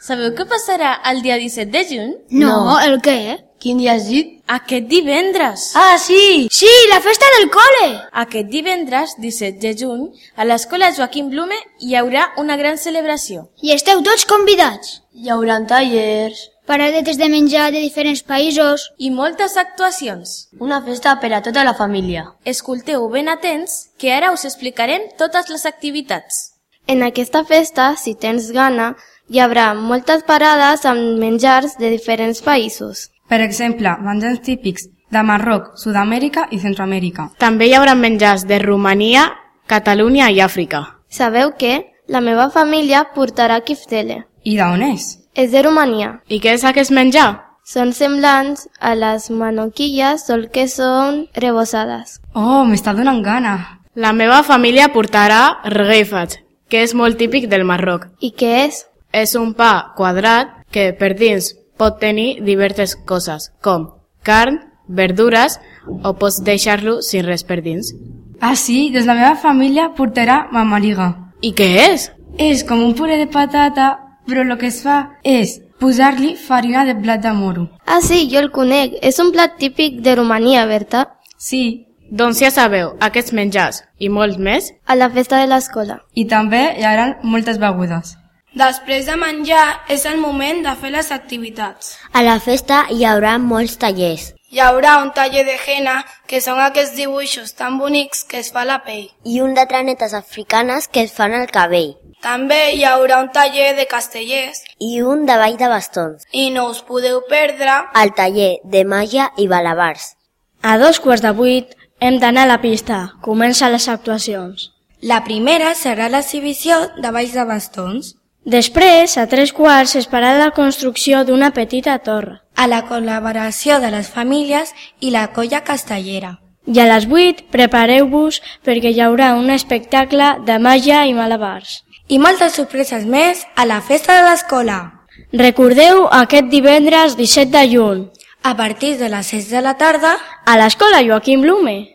Sabeu què passarà el dia 17 de juny? No, el què? Quin dia has dit? Aquest divendres! Ah, sí! Sí, la festa del col·le! Aquest divendres, 17 de juny, a l'escola Joaquim Blume hi haurà una gran celebració. I esteu tots convidats. Hi haurà tallers, Paradetes de menjar de diferents països. I moltes actuacions. una festa per a tota la família. Escolteu ben atents, que ara us explicarem totes les activitats. En aquesta festa, si tens gana, hi haurà moltes parades amb menjars de diferents països. Per exemple, menjars típics de Marroc, Sud-amèrica i Centroamèrica. També hi haurà menjars de Romania, Catalunya i Àfrica. Sabeu què? La meva família portarà kiftele. I d'on és? És de Romania. I què és aquest menjar? Són semblants a les manoquilles, sol que són rebossades. Oh, m'està donant gana. La meva família portarà rgueifat, que és molt típic del Marroc. I què és? És un pa quadrat que per dins pot tenir diverses coses, com carn, verdures, o pots deixar-lo sin res per dins. Ah, sí? Doncs la meva família portarà mamariga. I què és? És com un puré de patata, però el que es fa és posar-li farina de blat de moro. Ah, sí, jo el conec. És un plat típic de Romania, Berta? Sí, Doncs ja sabeu, aquests menjars i molts més. A la festa de l'escola. i també hi haurà moltes begudes. Després de menjar és el moment de fer les activitats. A la festa hi haurà molts tallers. Hi haurà un taller de henna, que són aquests dibuixos tan bonics que es fa a la pell. I un de tranetes africanes que es fan al cabell. També hi haurà un taller de castellers I un de ball de bastons. i no us podeu perdre El taller de màgia i balabars. A 7:45 hem d'anar a la pista. Comencen les actuacions. La primera serà l'exhibició de balls de bastons, Després, a 3:15, es farà la construcció d'una petita torre. a la col·laboració de les famílies i la colla castellera. I a les 8, prepareu-vos perquè hi haurà un espectacle de màgia i malabars. I moltes sorpreses més a la festa de l'escola. Recordeu aquest divendres 17 de juny, A partir de les 6 de la tarda, a l'escola Joaquim Blume.